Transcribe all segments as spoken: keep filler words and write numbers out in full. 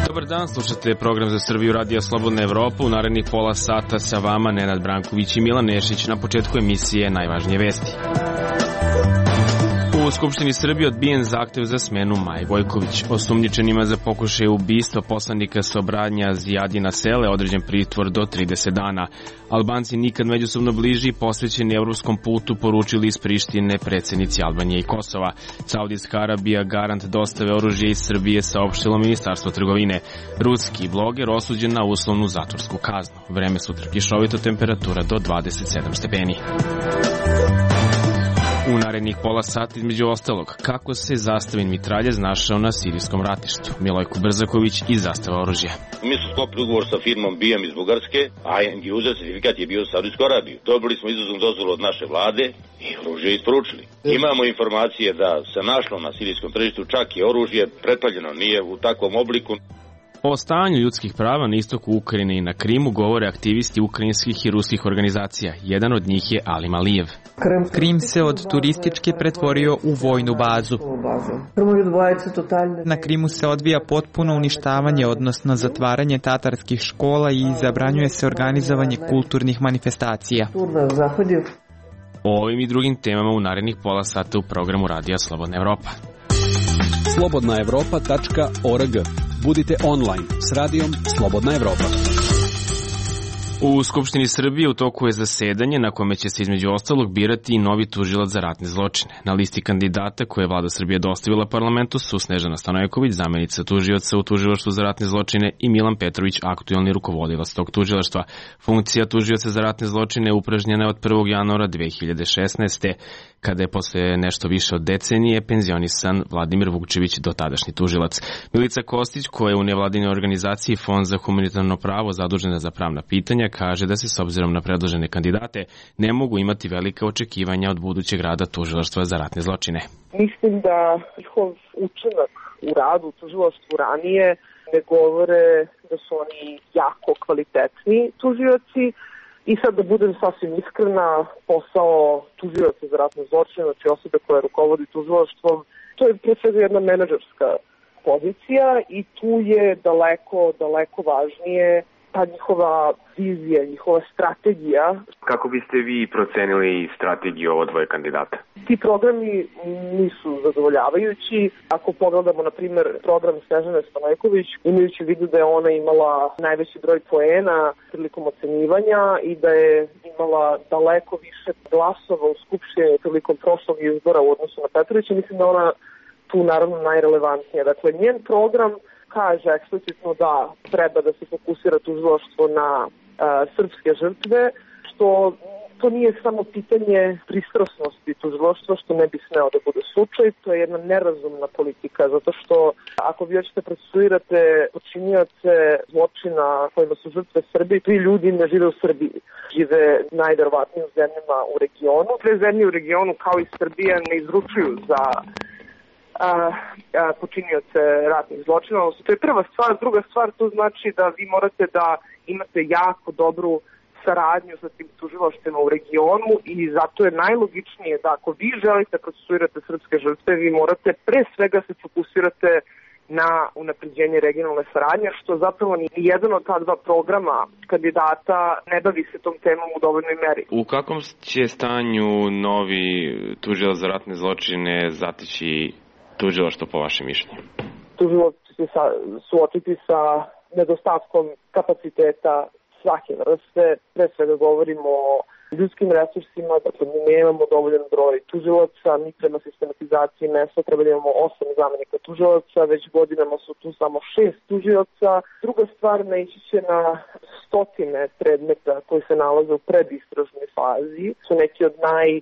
Dobar dan, slušate program za Srbiju Radija Slobodna Evropa. U narednih pola sata sa vama Nenad Branković i Milan Nešić. Na početku emisije najvažnije vesti. U Skupštini Srbije odbijen zahtev za smenu Maje Gojković. Osumnjičenima za pokušaj ubistva poslanika Sobranja Zijadina Sele određen pritvor do trideset dana. Albanci nikad međusobno bliži i posvećeni evropskom putu, poručili iz Prištine predsjednici Albanije i Kosova. Saudijska Arabija garant dostave oružja iz Srbije, saopštilo Ministarstvo trgovine. Ruski bloger osuđen na uslovnu zatvorsku kaznu. Vreme sutra kišovito, temperatura do dvadeset sedam stepeni. U narednih pola sata, između ostalog, kako se zastavin mitraljez našao na sirijskom ratištu. Milojko Brzaković iz Zastava oružja. Mi smo sklopili ugovor sa firmom B M iz Bugarske, a end user certifikat je bio u Saudijskoj Arabiji. Dobili smo izuznu dozvolu od naše vlade i oružje isporučili. Imamo informacije da se našlo na sirijskom tržištu čak i oružje pretpaljeno, nije u takvom obliku. O stanju ljudskih prava na istoku Ukrajine i na Krimu govore aktivisti ukrajinskih i ruskih organizacija. Jedan od njih je Alim Alijev. Krim se od turističke pretvorio u vojnu bazu. Na Krimu se odvija potpuno uništavanje, odnosno zatvaranje tatarskih škola i zabranjuje se organizovanje kulturnih manifestacija. O ovim i drugim temama u narednih pola sata u programu Radija Slobodna Evropa. slobodna evropa tačka org. Budite online s radijom Slobodna Evropa. U Skupštini Srbije u toku je zasedanje na kome će se između ostalog birati i novi tužilac za ratne zločine. Na listi kandidata koje je Vlada Srbije dostavila parlamentu su Snežana Stanojković, zamenica tužioca u Tužilaštvu za ratne zločine, i Milan Petrović, aktuelni rukovodilac tog tužilaštva. Funkcija tužioca za ratne zločine upražnjena je od prvog januara dve hiljade šesnaeste. kada je posle nešto više od decenije penzionisan Vladimir Vukčević, dotadašnji tužilac. Milica Kostić, koja je u nevladinoj organizaciji Fond za humanitarno pravo zadužena za pravna pitanja, kaže da se s obzirom na predložene kandidate ne mogu imati velika očekivanja od budućeg rada tužilaštva za ratne zločine. Mislim da njihov učinak u radu u tužilaštvu ranije ne govore da su oni jako kvalitetni tužioci. I sad da budem sasvim iskrena, posao tužioca za ratne zločine, znači osobe koja rukovodi tužilaštvom, to je pre svega jedna menadžerska pozicija i tu je daleko, daleko važnije ta njihova vizija, njihova strategija. Kako biste vi procenili strategiju ovo dvoje kandidata? Ti programi nisu zadovoljavajući. Ako pogledamo, na primjer, program Snežane Stanojković, imajući u vidu da je ona imala najveći broj poena prilikom ocenjivanja i da je imala daleko više glasova u Skupštini prilikom prošlog izbora u odnosu na Petrovića, mislim da ona tu naravno najrelevantnija. Dakle, njen program kaže eksplicitno da treba da se fokusira tužilaštvo na a, srpske žrtve, što to nije samo pitanje pristrasnosti tužilaštva, što ne bi smeo da bude slučaj, to je jedna nerazumna politika, zato što ako vi hoćete procesuirate počinioce zločina kojima su žrtve Srbije, ti ljudi ne žive u Srbiji, žive najverovatnije u zemljama u regionu. Sve zemlje u regionu, kao i Srbija, ne izručuju za A, a, počinioce ratnih zločina. To je prva stvar. Druga stvar, to znači da vi morate da imate jako dobru saradnju sa tim tužilaštvima u regionu i zato je najlogičnije da ako vi želite procesuirate srpske žrtve, vi morate pre svega se fokusirate na unapređenje regionalne saradnje, što zapravo ni jedan od ta dva programa kandidata ne bavi se tom temom u dovoljnoj meri. U kakvom će stanju novi tužilac za ratne zločine zatići tužilaštvo po vašem mišljenju? Tužilaštvo će se suočiti sa nedostatkom kapaciteta svake vrste. Pre svega govorimo o ljudskim resursima, dakle mi nemamo dovoljan broj tužilaca, mi prema sistematizaciji mesta treba da imamo osam zamenika tužilaca, već godinama su tu samo šest tužilaca. Druga stvar, naići će na stotine predmeta koji se nalaze u predistražnoj fazi, su neki od naj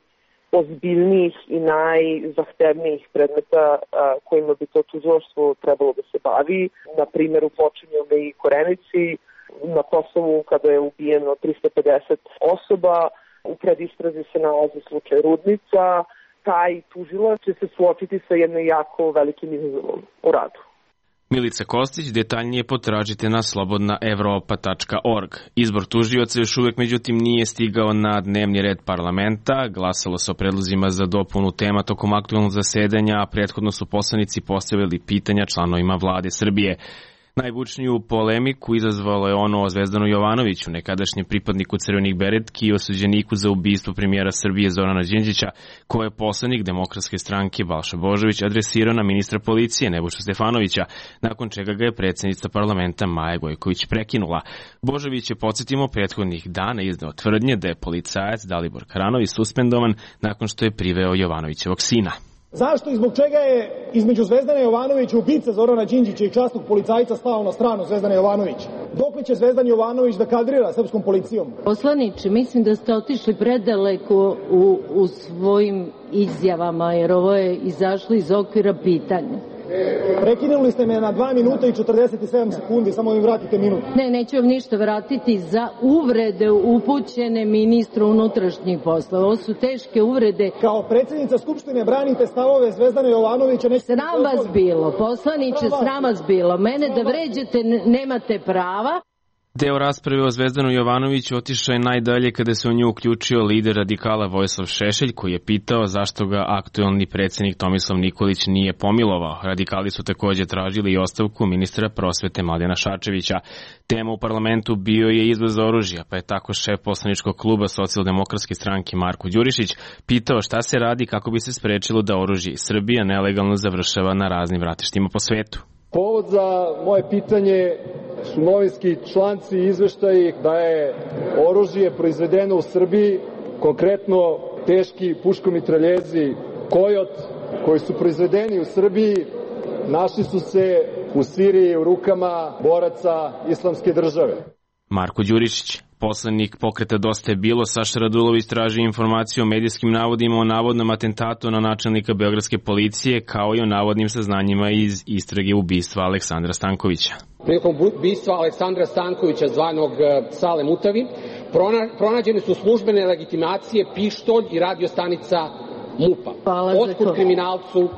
ozbiljnijih i najzahtevnijih predmeta a, kojima bi to tužilaštvo trebalo da se bavi. Na primjer, u počinjenju i Korenici, na Kosovu kada je ubijeno trista pedeset osoba, u predistrazi se nalazi slučaj Rudnica. Taj tužilac će se suočiti sa jednim jako velikim izazovom u radu. Milica Kostić, detaljnije potražite na slobodna evropa tačka org. Izbor tužioca još uvek međutim nije stigao na dnevni red parlamenta. Glasalo se o predlozima za dopunu tema tokom aktuelnog zasedanja, a prethodno su poslanici postavili pitanja članovima vlade Srbije. Najbučniju polemiku izazvalo je ono o Zvezdanu Jovanoviću, nekadašnjem pripadniku Crvenih beretki i osuđeniku za ubistvo premijera Srbije Zorana Đinđića, koje je poslanik Demokratske stranke Balša Božović adresirao na ministra policije Nebojšu Stefanovića, nakon čega ga je predsednica parlamenta Maja Gojković prekinula. Božović je, podsjetimo, prethodnih dana izneo tvrdnje da je policajac Dalibor Karanović suspendovan nakon što je priveo Jovanovićevog sina. Zašto i zbog čega je između Zvezdana Jovanovića, ubica Zorana Đinđića i časnog policajca stao na stranu Zvezdana Jovanovića? Dokle će Zvezdan Jovanović da kadrira srpskom policijom? Poslaniče, mislim da ste otišli predaleko u, u svojim izjavama, jer ovo je izašlo iz okvira pitanja. Prekinuli ste me na dva minuta i četrdeset sedam sekundi, samo mi vratite minut. Ne, neću vam ništa vratiti za uvrede upućene ministru unutrašnjih poslova. Ovo su teške uvrede. Kao predsjednica Skupštine branite stavove Zvezdana Jovanovića. Sram vas bilo, poslaniče, sram vas bilo. Mene da vređate nemate prava. Deo rasprave o Zvezdanu Jovanoviću otišao je najdalje kada se u nju uključio lider radikala Vojislav Šešelj, koji je pitao zašto ga aktuelni predsjednik Tomislav Nikolić nije pomilovao. Radikali su takođe tražili i ostavku ministra prosvete Mladena Šarčevića. Tema u parlamentu bio je izvoz oružja, pa je tako šef poslaničkog kluba Socijaldemokratske stranke Marko Đurišić pitao šta se radi kako bi se sprečilo da oružje iz Srbije nelegalno završava na raznim vratištima po svetu. Povod za moje pitanje su novinski članci i izveštaji da je oružje proizvedeno u Srbiji, konkretno teški puškomitraljezi Kojot, koji su proizvedeni u Srbiji, našli su se u Siriji u rukama boraca Islamske države. Marko Đurišić, poslanik Pokreta Dosta je bilo, Saša Radulović traži informaciju o medijskim navodima o navodnom atentatu na načelnika beogradske policije, kao i o navodnim saznanjima iz istrage ubistva Aleksandra Stankovića. Prilikom ubistva Aleksandra Stankovića, zvanog Sale Mutavi, pronađene su službene legitimacije, pištolj i radiostanica MUP-a. Otkud kriminalcu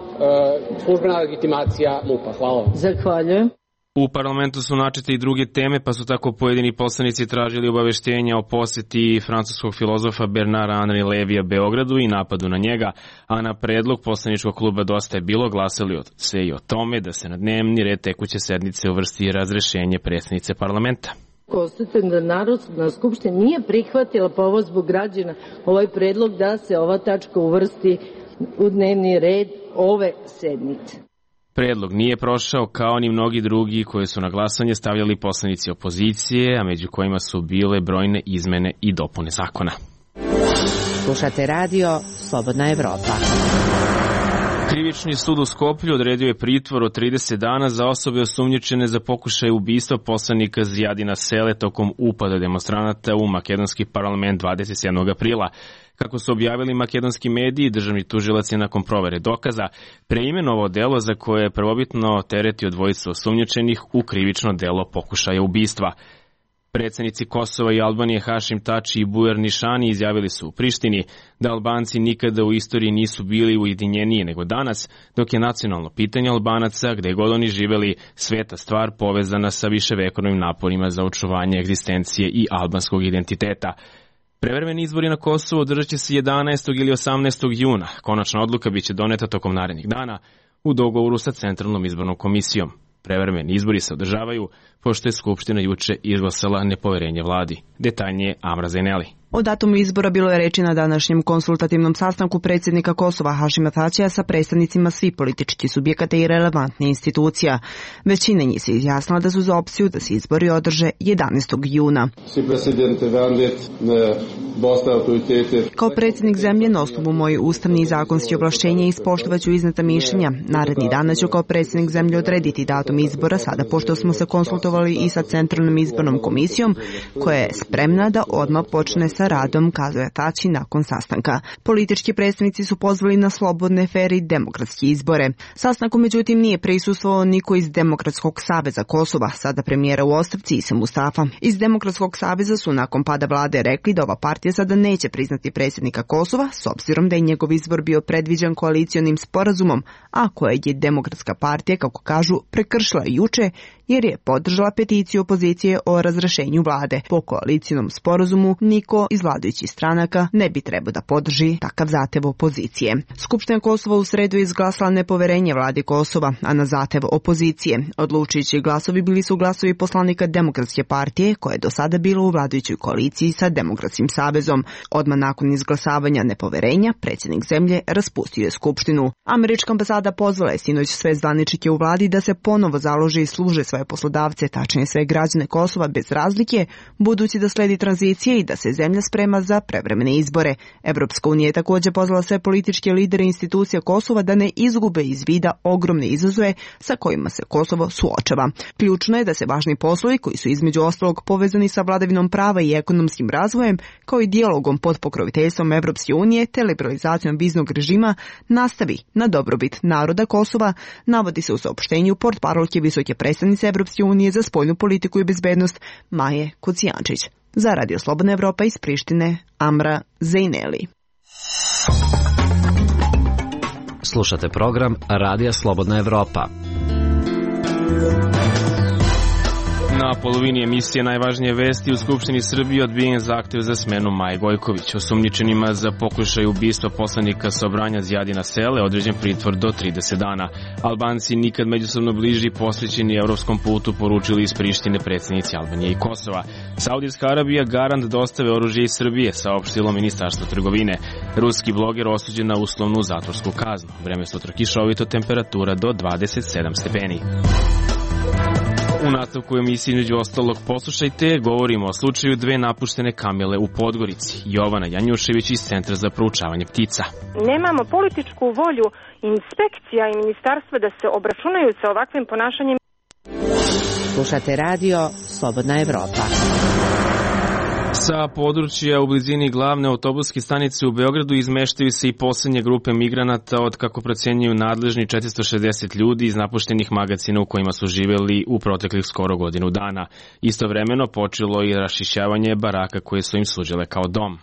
službena legitimacija MUP-a? Hvala vam. Zahvaljujem. U parlamentu su načete i druge teme, pa su tako pojedini poslanici tražili obaveštenja o poseti francuskog filozofa Bernara Henri Levija Beogradu i napadu na njega, a na predlog poslaničkog kluba Dosta je bilo glasali se i o tome da se na dnevni red tekuće sednice uvrsti razrešenje predsjednice parlamenta. Konstatujem da Narodna skupština nije prihvatila po ovo zbog građana ovaj predlog da se ova tačka uvrsti u dnevni red ove sednice. Predlog nije prošao kao ni mnogi drugi koje su na glasanje stavljali poslanici opozicije, a među kojima su bile brojne izmene i dopune zakona. Slušate radio Slobodna Evropa. Krivični sud u Skoplju odredio je pritvor od trideset dana za osobe osumnjičene za pokušaj ubistva poslanika Zijadina Sele tokom upada demonstranata u makedonski parlament dvadeset sedmog aprila. Kako su objavili makedonski mediji, državni tužilac je nakon provere dokaza preimenovao delo za koje je prvobitno teretio dvojicu osumnjičenih u krivično delo pokušaja ubistva. Predsednici Kosova i Albanije Hašim Tači i Bujar Nišani izjavili su u Prištini da Albanci nikada u istoriji nisu bili ujedinjeniji nego danas, dok je nacionalno pitanje Albanaca, gde god oni živeli, sveta stvar povezana sa viševekovnim naporima za očuvanje egzistencije i albanskog identiteta. Prevremeni izbori na Kosovu održat će se jedanaestog ili osamnaestog juna. Konačna odluka biće doneta tokom narednih dana u dogovoru sa Centralnom izbornom komisijom. Prevremeni izbori se održavaju pošto je Skupština juče izglasala nepoverenje vladi. Detaljnije Amra Zaineli. O datumu izbora bilo je reči na današnjem konsultativnom sastanku predsjednika Kosova Hašima Tačija sa predstavnicima svih političkih subjekata i relevantnih institucija. Većina njih se izjasnila da su za opciju da se izbori održe jedanaestog juna. Kao predsjednik zemlje, na osnovu mojih ustavnih i zakonskih ovlašćenja ispoštovaću izneta mišljenja. Naredni dana ću kao predsjednik zemlje odrediti datum izbora, sada pošto smo se konsultovali i sa Centralnom izbornom komisijom, koja je spremna da odmah počne sa sa radom, kazuje Tači nakon sastanka. Politički predstavnici su pozvali na slobodne, fer i demokratske izbore. Sastanku međutim nije prisustvovao niko iz Demokratskog saveza Kosova, sada premijera u ostavci Isa Mustafa. Iz Demokratskog saveza su nakon pada vlade rekli da ova partija sada neće priznati predsjednika Kosova, s obzirom da je njegov izbor bio predviđen koalicionim sporazumom, a koje je Demokratska partija, kako kažu, prekršila juče jer je podržala peticiju opozicije o razrešenju vlade. Po koalicijnom sporazumu niko iz vladajućih stranaka ne bi trebao da podrži takav zahtev opozicije. Skupština Kosova u sredu je izglasala nepoverenje vladi Kosova, a na zahtev opozicije. Odlučujući glasovi bili su glasovi poslanika Demokratske partije, koja je do sada bila u vladajućoj koaliciji sa Demokratskim savezom. Odmah nakon izglasavanja nepoverenja, predsjednik zemlje raspustio je skupštinu. Američka ambasada pozvala je sinoć sve zvaničnike u vladi da se ponovo založe i služe svoje poslodavce, tačnije sve građane Kosova bez razlike, budući da sledi tranzicije i da se zemlja sprema za prevremene izbore. Evropska unija je također pozvala sve političke lidere institucija Kosova da ne izgube iz vida ogromne izazove sa kojima se Kosovo suočava. Ključno je da se važni poslovi, koji su između ostalog povezani sa vladavinom prava i ekonomskim razvojem, kao i dijalogom pod pokroviteljstvom Evropske unije te liberalizacijom viznog režima, nastavi na dobrobit naroda Kosova, navodi se u saopštenju portparolke visoke predstavnice Evropske unije za spoljnu politiku i bezbednost Maje Kocijančić. Za Radio Slobodna Evropa iz Prištine, Amra Zejneli. Slušate program Radija Slobodna Evropa. Na polovini emisije najvažnije vesti u Skupštini Srbije odbijen zahtev za smenu Maje Gojković. Osumnjičenima za pokušaj ubistva poslanika Sobranja Zjadina Sele određen pritvor do trideset dana. Albanci nikad međusobno bliži posvećeni evropskom putu, poručili iz Prištine predsjednici Albanije i Kosova. Saudijska Arabija garant dostave oružja iz Srbije, saopštilo Ministarstvo trgovine. Ruski bloger osuđen na uslovnu zatvorsku kaznu. Vreme sutra kišovito, temperatura do dvadeset sedam stepeni. U nastavku emisiji između ostalog poslušajte, govorimo o slučaju dve napuštene kamele u Podgorici. Jovana Janjušević iz Centra za proučavanje ptica. Nemamo političku volju inspekcija i ministarstva da se obračunaju sa ovakvim ponašanjem. Slušate radio Slobodna Evropa. Sa područja u blizini glavne autobuske stanice u Beogradu izmeštaju se i posljednje grupe migranata od, kako procenjuju nadležni, četiristo šezdeset ljudi iz napuštenih magacina u kojima su živjeli u proteklih skoro godinu dana. Istovremeno počelo i rašišćavanje baraka koje su im služile kao dom.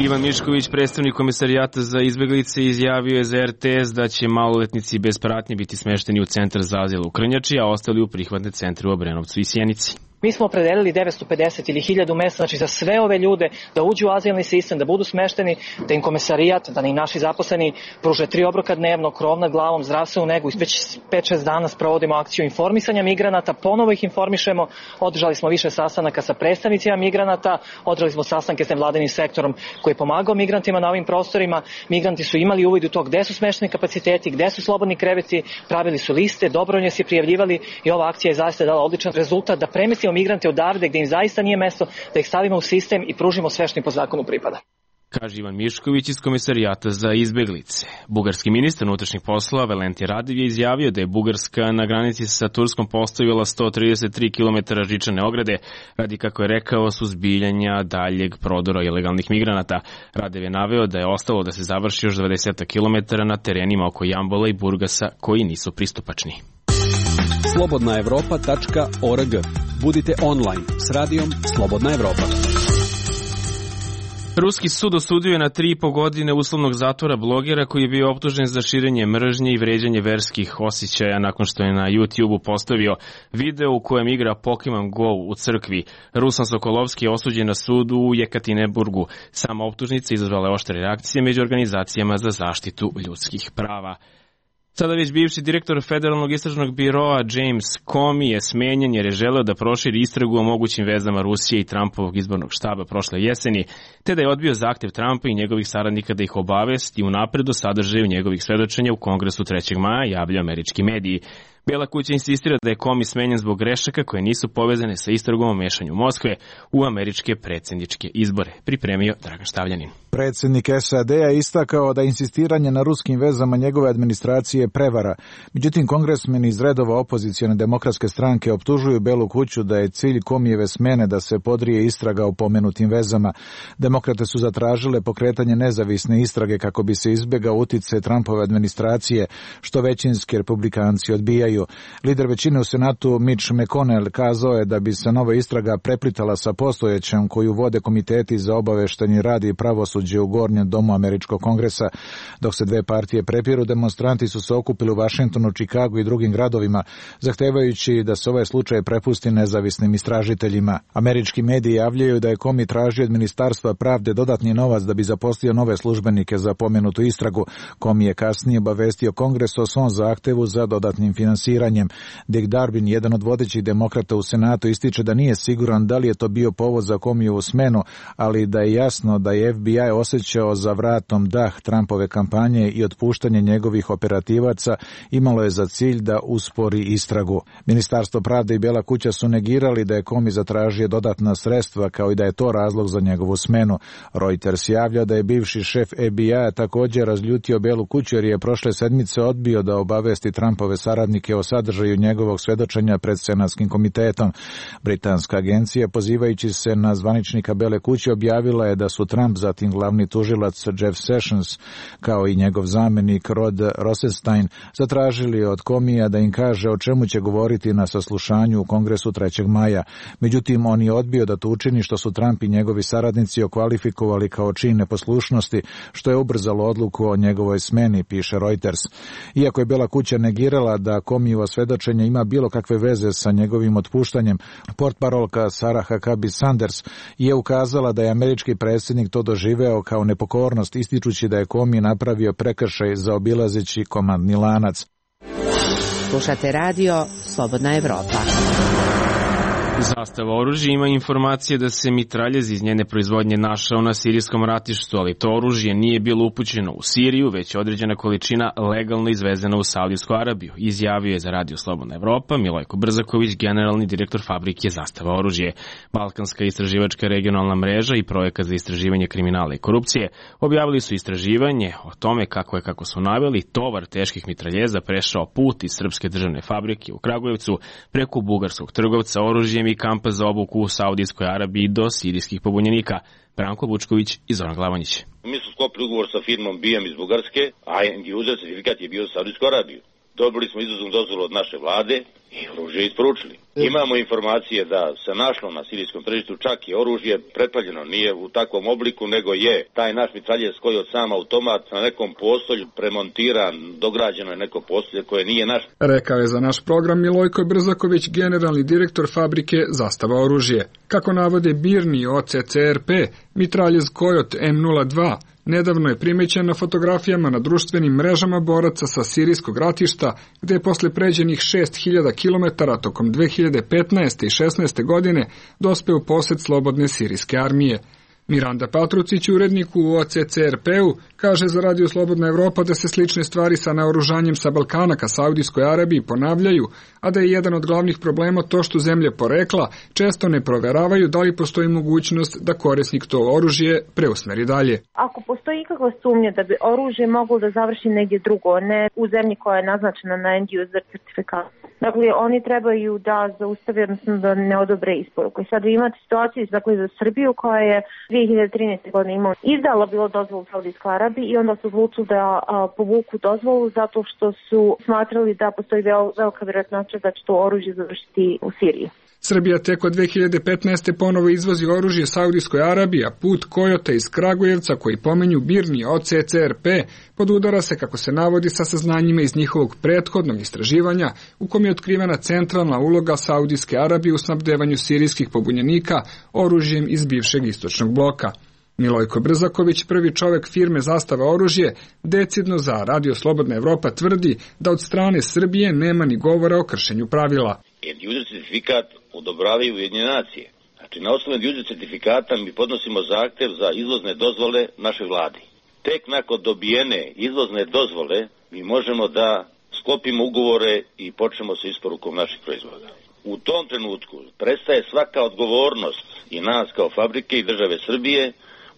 Ivan Mišković, predstavnik Komesarijata za izbeglice, izjavio je za er te es da će maloletnici bez pratnje biti smešteni u centar za azil u Krnjači, a ostali u prihvatne centre u Obrenovcu i Sjenici. Mi smo opredelili devetsto pedeset ili hiljadu mesta, znači za sve ove ljude da uđu u azilni sistem, da budu smešteni, da im komesarijat, da im naši zaposleni pruže tri obroka dnevno, krov nad glavom, zdravstvenu negu. Već pet šest dana sprovodimo akciju informisanja migranata, ponovo ih informišemo, održali smo više sastanaka sa predstavnicima migranata, održali smo sastanke s nevladinim sektorom koji je pomagao migrantima na ovim prostorima. Migranti su imali uvid u to gde su smešteni kapaciteti, gde su slobodni kreveti, pravili su liste, dobrovoljno se prijavljivali i ova akcija je zaista dala odličan rezultat da premestimo migrante odavde gde im zaista nije mesto, da ih stavimo u sistem i pružimo sve što im po zakonu pripada. Kaže Ivan Mišković iz Komesarijata za izbeglice. Bugarski ministar unutrašnjih poslova Valentij Radiv je izjavio da je Bugarska na granici sa Turskom postavila sto trideset tri kilometara žičane ograde radi, kako je rekao, suzbiljanja daljeg prodora ilegalnih migranata. Radiv je naveo da je ostalo da se završi još dvadeset kilometara na terenima oko Jambola i Burgasa koji nisu pristupačni. slobodna evropa tačka org. Budite online s radijom Slobodna Evropa. Ruski sud osudio je na tri i po godine uslovnog zatvora blogera koji je bio optužen za širenje mržnje i vređanje verskih osjećaja nakon što je na YouTube-u postavio video u kojem igra Pokemon Go u crkvi. Ruslan Sokolovski je osuđen na sudu u Jekatineburgu. Sama optužnica izazvala oštre reakcije među organizacijama za zaštitu ljudskih prava. Sada već bivši direktor Federalnog istražnog biroa James Comey je smenjen jer je želeo da proširi istragu o mogućim vezama Rusije i Trumpovog izbornog štaba prošle jeseni, te da je odbio zahtev Trumpa i njegovih saradnika da ih obavesti unapred o sadržaju njegovih svedočenja u Kongresu trećeg maja, javljaju američki mediji. Bela kuća insistira da je Komi smenjen zbog grešaka koje nisu povezane sa istragom o mešanju Moskve u američke predsjedničke izbore. Pripremio Dragan Štavljanin. Predsjednik S A D-a istakao da insistiranje na ruskim vezama njegove administracije je prevara. Međutim, kongresmeni iz redova opozicione demokratske stranke optužuju Belu kuću da je cilj Komijeve smene da se podrije istraga o pomenutim vezama. Demokrate su zatražile pokretanje nezavisne istrage kako bi se izbjegao uticaj Trumpove administracije, što većinski republikanci odbijaju. Lider većine u Senatu Mitch McConnell kazao je da bi se nova istraga preplitala sa postojećem koju vode komiteti za obaveštenje radi i pravosuđe u gornjem domu američkog kongresa. Dok se dve partije prepiru, demonstranti su se okupili u Vašingtonu, Čikagu i drugim gradovima, zahtevajući da se ovaj slučaj prepusti nezavisnim istražiteljima. Američki mediji javljaju da je Komi tražio od Ministarstva pravde dodatni novac da bi zaposlio nove službenike za pomenutu istragu. Komi je kasnije obavestio Kongres o svom zahtevu za dodatnim finansiranjem. Dick Durbin, jedan od vodećih demokrata u Senatu, ističe da nije siguran da li je to bio povod za Komijevu smenu, ali da je jasno da je F B I osjećao za vratom dah Trumpove kampanje i otpuštanje njegovih operativaca imalo je za cilj da uspori istragu. Ministarstvo pravde i Bela kuća su negirali da je Komi zatražio dodatna sredstva, kao i da je to razlog za njegovu smenu. Reuters javlja da je bivši šef F B I-a također razljutio Belu kuću jer je prošle sedmice odbio da obavesti Trumpove saradnike o sadržaju njegovog svedočenja pred Senatskim komitetom. Britanska agencija, pozivajući se na zvaničnika Bele kuće, objavila je da su Trump, zatim glavni tužilac Jeff Sessions, kao i njegov zamenik Rod Rosenstein, zatražili od Komija da im kaže o čemu će govoriti na saslušanju u Kongresu trećeg maja. Međutim, on je odbio da to učini, što su Trump i njegovi saradnici okvalifikovali kao čin neposlušnosti, što je ubrzalo odluku o njegovoj smeni, piše Reuters. Iako je Bela kuća negirala da Komijevo svedočenje ima bilo kakve veze sa njegovim otpuštanjem, portparolka Sarah Huckabee Sanders je ukazala da je američki predsjednik to doživeo kao nepokornost, ističući da je Komi napravio prekršaj zaobilazeći komandni lanac. Slušate radio Slobodna Evropa. Zastava oružja ima informacije da se mitraljez iz njene proizvodnje našao na sirijskom ratištu, ali to oružje nije bilo upućeno u Siriju, već je određena količina legalno izvezena u Saudijsku Arabiju, izjavio je za radio Slobodna Evropa Milojko Brzaković, generalni direktor fabrike Zastava oružje. Balkanska istraživačka regionalna mreža i projekat za istraživanje kriminala i korupcije objavili su istraživanje o tome kako je, kako su naveli, tovar teških mitraljeza prešao put iz srpske državne fabrike u Kragujevcu preko bugarskog trgovca oružjem i kampa za obuku u Saudijskoj Arabiji do sirijskih pobunjenika. Branko Vučković i Zoran Glavonjić. Mi smo sklopili ugovor sa firmom B I A M iz Bugarske, a end user certifikat je bio za Saudijsku Arabiju. Dobili smo izvoznu dozvolu od naše vlade i oružje isporučili. Imamo informacije da se našlo na sirijskom tržištu čak i oružje pretplavljeno, nije u takvom obliku, nego je taj naš mitraljez koji od sam automat na nekom postolju premontiran, dograđeno je neko postolje koje nije naš. Rekao je za naš program Milojko Brzaković, generalni direktor fabrike Zastava oružje. Kako navode Birni O C C R P, mitraljez Kojot M nula dva nedavno je primećen na fotografijama na društvenim mrežama boraca sa sirijskog ratišta, gde je posle pređenih šest hiljada kilometara tokom dve hiljade petnaeste i šesnaeste godine dospeo u posed slobodne sirijske armije. Miranda Patrucić, urednik u O C C R P-u, kaže za radio Slobodna Evropa da se slične stvari sa naoružanjem sa Balkana ka Saudijskoj Arabiji ponavljaju, a da je jedan od glavnih problema to što zemlje porekla često ne proveravaju da li postoji mogućnost da korisnik to oružje preusmeri dalje. Ako postoji ikakva sumnja da bi oružje moglo da završi negdje drugo, ne u zemlji koja je naznačena na end user certifikat, dakle oni trebaju da zaustave, odnosno da ne odobre isporuku. I sad vi imate situaciju dakle, za Srbiju koja je dve hiljade trinaeste. godine imala izdala bilo dozvolu u Saudijskoj Arabiji i onda su odlučili da a, povuku dozvolu zato što su smatrali da postoji vel, velika vjerojatnoća da će to oružje završiti u Siriji. Srbija tek od dve hiljade petnaeste. ponovo izvozi oružje Saudijskoj Arabiji, a put Kojota iz Kragujevca, koji pomenju Birni O C C R P, podudara se, kako se navodi, sa saznanjima iz njihovog prethodnog istraživanja, u kom je otkrivena centralna uloga Saudijske Arabije u snabdevanju sirijskih pobunjenika oružjem iz bivšeg istočnog bloka. Milojko Brzaković, prvi čovek firme Zastava oružje, decidno za radio Slobodna Evropa tvrdi da od strane Srbije nema ni govora o kršenju pravila. End user certifikat odobravaju Ujedinjene nacije. Znači, na osnovu end user certifikata mi podnosimo zahtev za izvozne dozvole naše vladi. Tek nakon dobijene izvozne dozvole mi možemo da sklopimo ugovore i počnemo sa isporukom naših proizvoda. U tom trenutku prestaje svaka odgovornost i nas kao fabrike i države Srbije,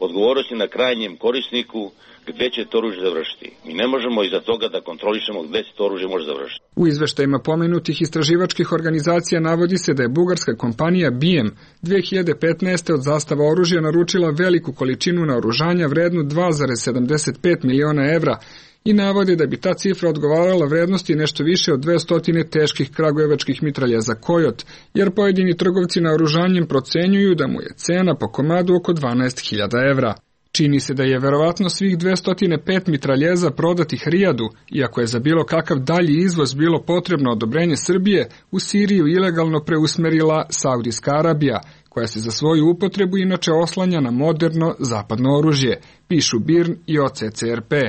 odgovornosti na krajnjem korisniku gde će to oružje završiti. Mi ne možemo iza toga da kontrolišemo gde se to oružje može završiti. U izveštajima pomenutih istraživačkih organizacija navodi se da je bugarska kompanija B I M dve hiljade petnaeste. od Zastava oružja naručila veliku količinu naoružanja vrednu dva zarez sedamdeset pet miliona evra i navode da bi ta cifra odgovarala vrednosti nešto više od dvesta teških kragujevačkih mitraljeza Kojot, jer pojedini trgovci naoružanjem procenjuju da mu je cena po komadu oko dvanaest hiljada evra. Čini se da je verovatno svih dvesta pet mitraljeza prodatih Rijadu, iako je za bilo kakav dalji izvoz bilo potrebno odobrenje Srbije, u Siriju ilegalno preusmerila Saudijska Arabija, koja se za svoju upotrebu inače oslanja na moderno zapadno oružje, pišu B I R N i O C C R P.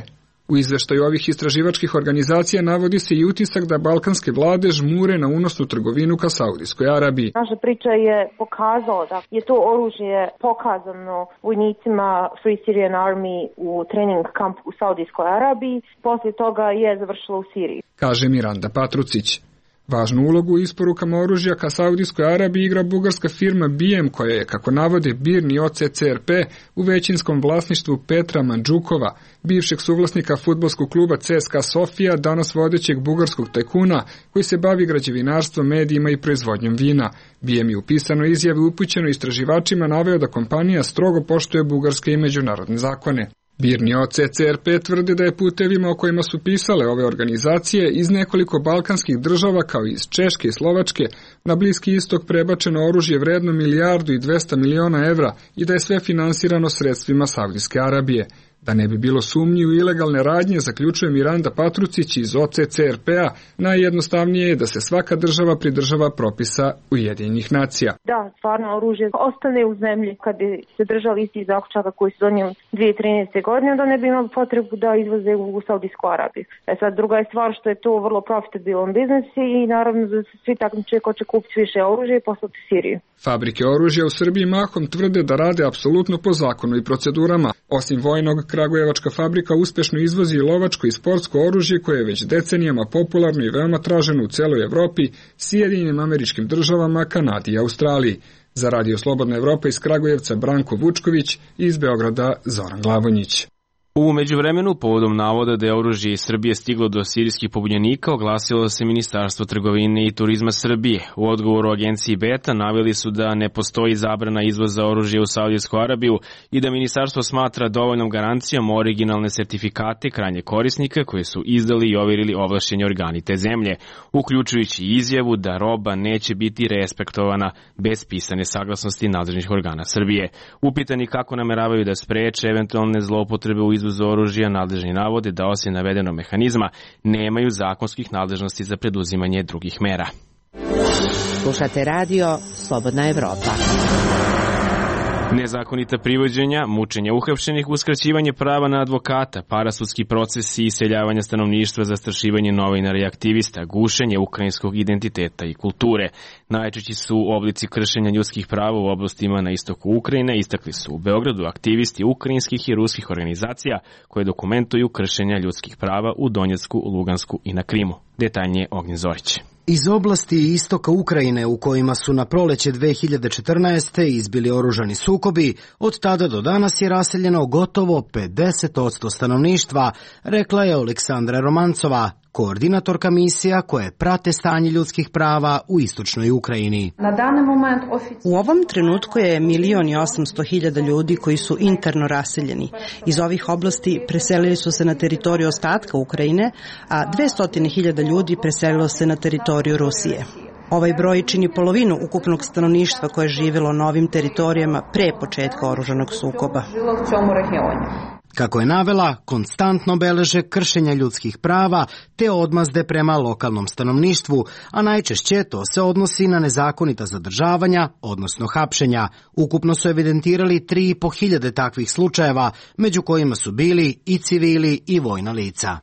U izveštaju ovih istraživačkih organizacija navodi se i utisak da balkanske vlade žmure na unosnu trgovinu ka Saudijskoj Arabiji. Naša priča je pokazala da je to oružje pokazano vojnicima Free Syrian Army u trening kampu u Saudijskoj Arabiji, posle toga je završilo u Siriji, kaže Miranda Patrucić. Važnu ulogu u isporukama oružja ka Saudijskoj Arabiji igra bugarska firma B I M, koja je, kako navode B I R N i O C C R P, u većinskom vlasništvu Petra Mandžukova, bivšeg suvlasnika fudbalskog kluba C S K A Sofija, danas vodećeg bugarskog tajkuna koji se bavi građevinarstvom, medijima i proizvodnjom vina. B I M je u pisanoj izjavi upućeno istraživačima naveo da kompanija strogo poštuje bugarske i međunarodne zakone. B I R N i O C C R P tvrde da je putevima o kojima su pisale ove organizacije iz nekoliko balkanskih država kao iz Češke i Slovačke na Bliski istok prebačeno oružje vredno milijardu i dvesta miliona evra i da je sve finansirano sredstvima Saudijske Arabije. Da ne bi bilo sumnji u ilegalne radnje, zaključuje Miranda Patrucić iz O C C R P-a, najjednostavnije je da se svaka država pridržava propisa Ujedinjenih nacija. Da, stvarno oružje ostane u zemlji kad bi se držali isti zaključaka koji su donijeli dve hiljade trinaeste. godine, da ne bi imali potrebu da izvoze u Saudijsku Arabiju. E sad, druga je stvar što je to vrlo profitabilan biznis i naravno da se svi takmiče ko će kupiti više oružja i poslati Siriju. Fabrike oružja u Srbiji mahom tvrde da rade apsolutno po zakonu i procedurama. Osim vojnog, kragujevačka fabrika uspešno izvozi i lovačko i sportsko oružje koje je već decenijama popularno i veoma traženo u celoj Evropi, Sjedinjenim Američkim Državama, Kanadi i Australiji. Za Radio Slobodna Evropa iz Kragujevca Branko Vučković, iz Beograda Zoran Glavonjić. U međuvremenu, povodom navoda da je oružje iz Srbije stiglo do sirijskih pobunjenika, oglasilo se Ministarstvo trgovine i turizma Srbije. U odgovoru agenciji Beta naveli su da ne postoji zabrana izvoza oružja u Saudijsku Arabiju i da ministarstvo smatra dovoljnom garancijom originalne sertifikate krajnje korisnika koje su izdali i overili ovlašćeni organi te zemlje, uključujući izjavu da roba neće biti respektovana bez pisane saglasnosti nadležnih organa Srbije. Upitani kako nameravaju da spreče eventualne zloupotrebe u izvozu oružja, nadležni navode da osim navedenog mehanizma nemaju zakonskih nadležnosti za preduzimanje drugih mera. Slušate radio Slobodna Evropa. Nezakonita privođenja, mučenja uhapšenih, uskraćivanje prava na advokata, parasudski procesi i iseljavanja stanovništva, zastrašivanje novinara i aktivista, gušenje ukrajinskog identiteta i kulture. Najčešći su oblici kršenja ljudskih prava u oblastima na istoku Ukrajine, istakli su u Beogradu aktivisti ukrajinskih i ruskih organizacija koje dokumentuju kršenja ljudskih prava u Donjecku, Lugansku i na Krimu. Detaljnije Ognjen Zorić. Iz oblasti istoka Ukrajine u kojima su na proleće dve hiljade četrnaeste. izbili oružani sukobi, od tada do danas je raseljeno gotovo pedeset posto stanovništva, rekla je Aleksandra Romancova, koordinatorka misija koje prate stanje ljudskih prava u istočnoj Ukrajini. U ovom trenutku je milion i osamsto hiljada ljudi koji su interno raseljeni. Iz ovih oblasti preselili su se na teritoriju ostatka Ukrajine, a dvesta hiljada ljudi preselilo se na teritoriju Rusije. Ovaj broj čini polovinu ukupnog stanovništva koje je živjelo na ovim teritorijama pre početka oružanog sukoba. Kako je navela, konstantno beleže kršenja ljudskih prava te odmazde prema lokalnom stanovništvu, a najčešće to se odnosi na nezakonita zadržavanja, odnosno hapšenja. Ukupno su evidentirali tri i po hiljade takvih slučajeva, među kojima su bili i civili i vojna lica.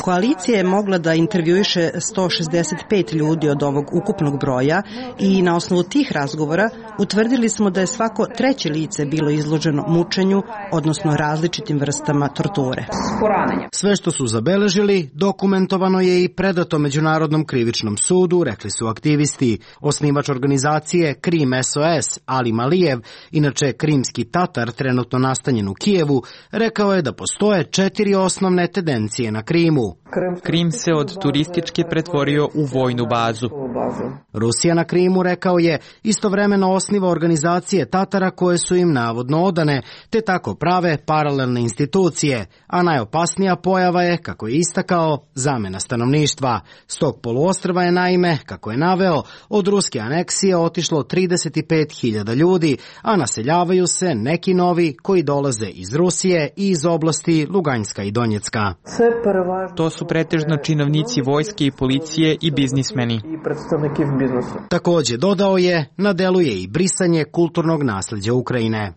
Koalicija je mogla da intervjuiše sto šezdeset pet ljudi od ovog ukupnog broja i na osnovu tih razgovora utvrdili smo da je svako treće lice bilo izloženo mučenju mučenju, odnosno različitim vrstama torture. Sve što su zabeležili dokumentovano je i predato Međunarodnom krivičnom sudu, rekli su aktivisti. Osnivač organizacije Krim S O S, Ali Malijev, inače krimski Tatar trenutno nastanjen u Kijevu, rekao je da postoje četiri osnovne tendencije na Krimu. Krim se od turističke pretvorio u vojnu bazu. Rusija na Krimu, rekao je, istovremeno osniva organizacije Tatara koje su im navodno odane, te tako prave paralelne institucije, a najopasnija pojava je, kako je istakao, zamena stanovništva. S tog poluostrva je naime, kako je naveo, od ruske aneksije otišlo trideset pet hiljada ljudi, a naseljavaju se neki novi koji dolaze iz Rusije i iz oblasti Luganjska i Donjecka. To su pretežno činovnici vojske i policije i biznismeni. Takođe, dodao je, na delu je i brisanje kulturnog nasleđa Ukrajine.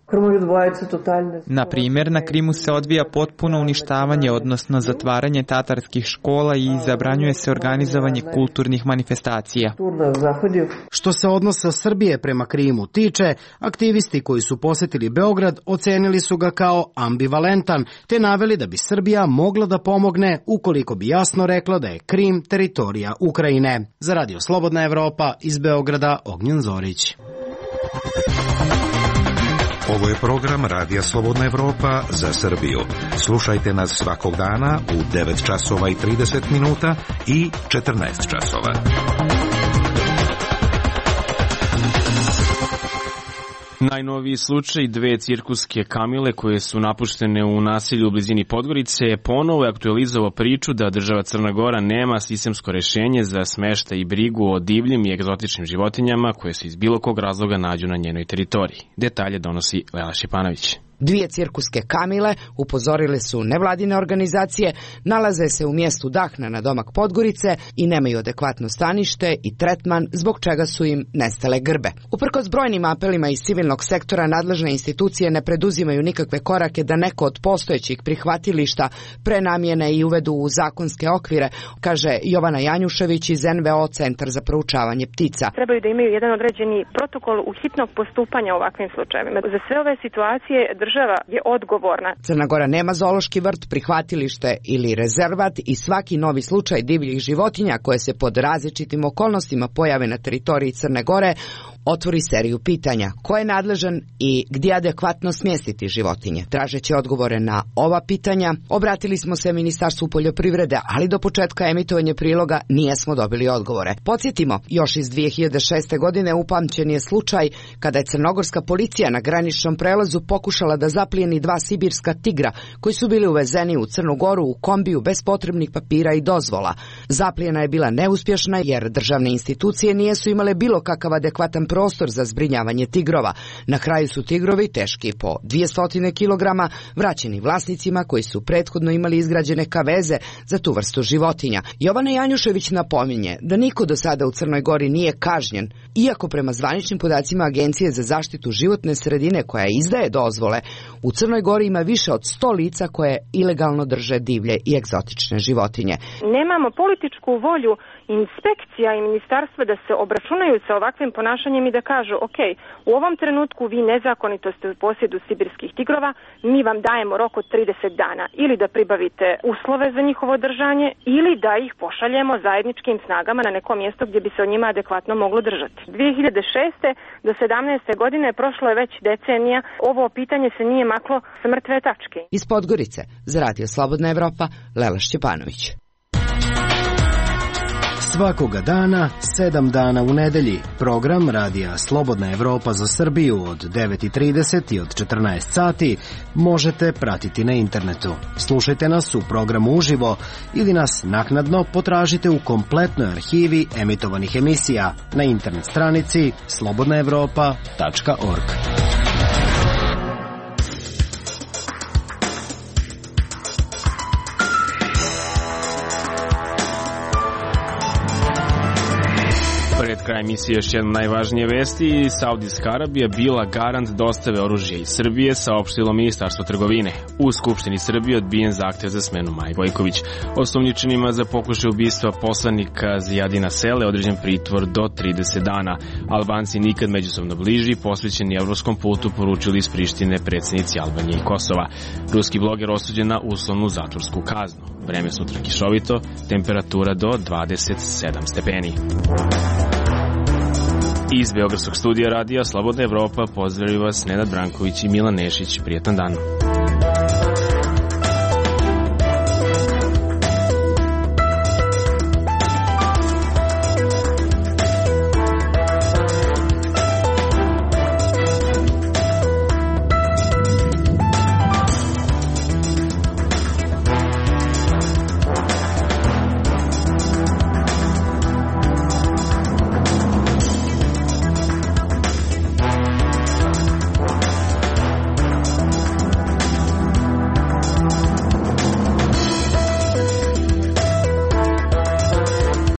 Na primjer, na Krimu se odvija potpuno uništavanje, odnosno zatvaranje tatarskih škola i zabranjuje se organizovanje kulturnih manifestacija. Što se odnosa Srbije prema Krimu tiče, aktivisti koji su posetili Beograd ocenili su ga kao ambivalentan, te naveli da bi Srbija mogla da pomogne ukoliko bi jasno rekla da je Krim teritorija Ukrajine. Za Radio Slobodna Evropa iz Beograda, Ognjen Zorić. Ovo je program Radija Slobodna Evropa za Srbiju. Slušajte nas svakog dana u devet časova i trideset minuta i četrnaest časova. Najnoviji slučaj dve cirkuske kamile koje su napuštene u naselju u blizini Podgorice je ponovo aktualizovao priču da država Crna Gora nema sistemsko rešenje za smeštaj i brigu o divljim i egzotičnim životinjama koje se iz bilo kog razloga nađu na njenoj teritoriji. Detalje donosi Lela Šipanović. Dvije cirkuske kamile, upozorile su nevladine organizacije, nalaze se u mjestu Dahna na domak Podgorice i nemaju adekvatno stanište i tretman, zbog čega su im nestale grbe. Uprkos brojnim apelima iz civilnog sektora, nadležne institucije ne preduzimaju nikakve korake da neko od postojećih prihvatilišta prenamjene i uvedu u zakonske okvire, kaže Jovana Janjušević iz N V O Centar za proučavanje ptica. Trebaju da imaju jedan određeni protokol u hitnog postupanja u ovakvim slučajevima. Za sve ove situacije država je odgovorna. Crna Gora nema zoološki vrt, prihvatilište ili rezervat i svaki novi slučaj divljih životinja koje se pod različitim okolnostima pojave na teritoriji Crne Gore otvori seriju pitanja ko je nadležan i gdje adekvatno smjestiti životinje. Tražeći odgovore na ova pitanja, obratili smo se Ministarstvu poljoprivrede, ali do početka emitovanja priloga nijesmo dobili odgovore. Podsjetimo, još iz dvije hiljade šeste. godine upamćen je slučaj kada je crnogorska policija na graničnom prelazu pokušala da zaplijeni dva sibirska tigra koji su bili uvezeni u Crnu Goru u kombiju bez potrebnih papira i dozvola. Zaplijena je bila neuspješna jer državne institucije nijesu imale bilo kakav adekvatan prostor za zbrinjavanje tigrova. Na kraju su tigrovi, teški po dvjesto kilograma, vraćeni vlasnicima koji su prethodno imali izgrađene kaveze za tu vrstu životinja. Jovana Janjušević napominje da niko do sada u Crnoj Gori nije kažnjen, iako prema zvaničnim podacima Agencije za zaštitu životne sredine koja izdaje dozvole, u Crnoj Gori ima više od sto lica koje ilegalno drže divlje i egzotične životinje. Nemamo političku volju inspekcija i ministarstva da se obračunaju sa ovakvim ponašanjem i da kažu, ok, u ovom trenutku vi nezakonito ste u posjedu sibirskih tigrova, mi vam dajemo rok od trideset dana ili da pribavite uslove za njihovo držanje ili da ih pošaljemo zajedničkim snagama na neko mjesto gdje bi se o njima adekvatno moglo držati. dvije hiljade šeste. do sedamnaeste. godine prošlo je već decenija, ovo pitanje se nije maklo s mrtve tačke. Iz Podgorice, za Radio Slobodna Evropa, Lela Šćepanović. Svakoga dana, sedam dana u nedelji, program Radija Slobodna Evropa za Srbiju od devet i trideset i od četrnaest sati možete pratiti na internetu. Slušajte nas u programu uživo ili nas naknadno potražite u kompletnoj arhivi emitovanih emisija na internet stranici slobodna evropa tačka org. Pred kraj emisije još jedna najvažnije vesti. Saudijska Arabija bila garant dostave oružja iz Srbije, saopštilo Ministarstvo trgovine. U Skupštini Srbije odbijen zahtev za smenu Maje Gojković. Osumnjičenima za pokušaj ubistva poslanika Zijadina Sele određen pritvor do trideset dana. Albanci nikad međusobno bliži, posvećeni evropskom putu, poručili iz Prištine predsjednici Albanije i Kosova. Ruski bloger osuđen na uslovnu zatvorsku kaznu. Vreme sutra kišovito, temperatura do dvadeset sedam stepeni. Iz Beogradskog studija radija Slobodna Evropa pozdravljaju vas Nenad Branković i Milan Nešić. Prijetan dan.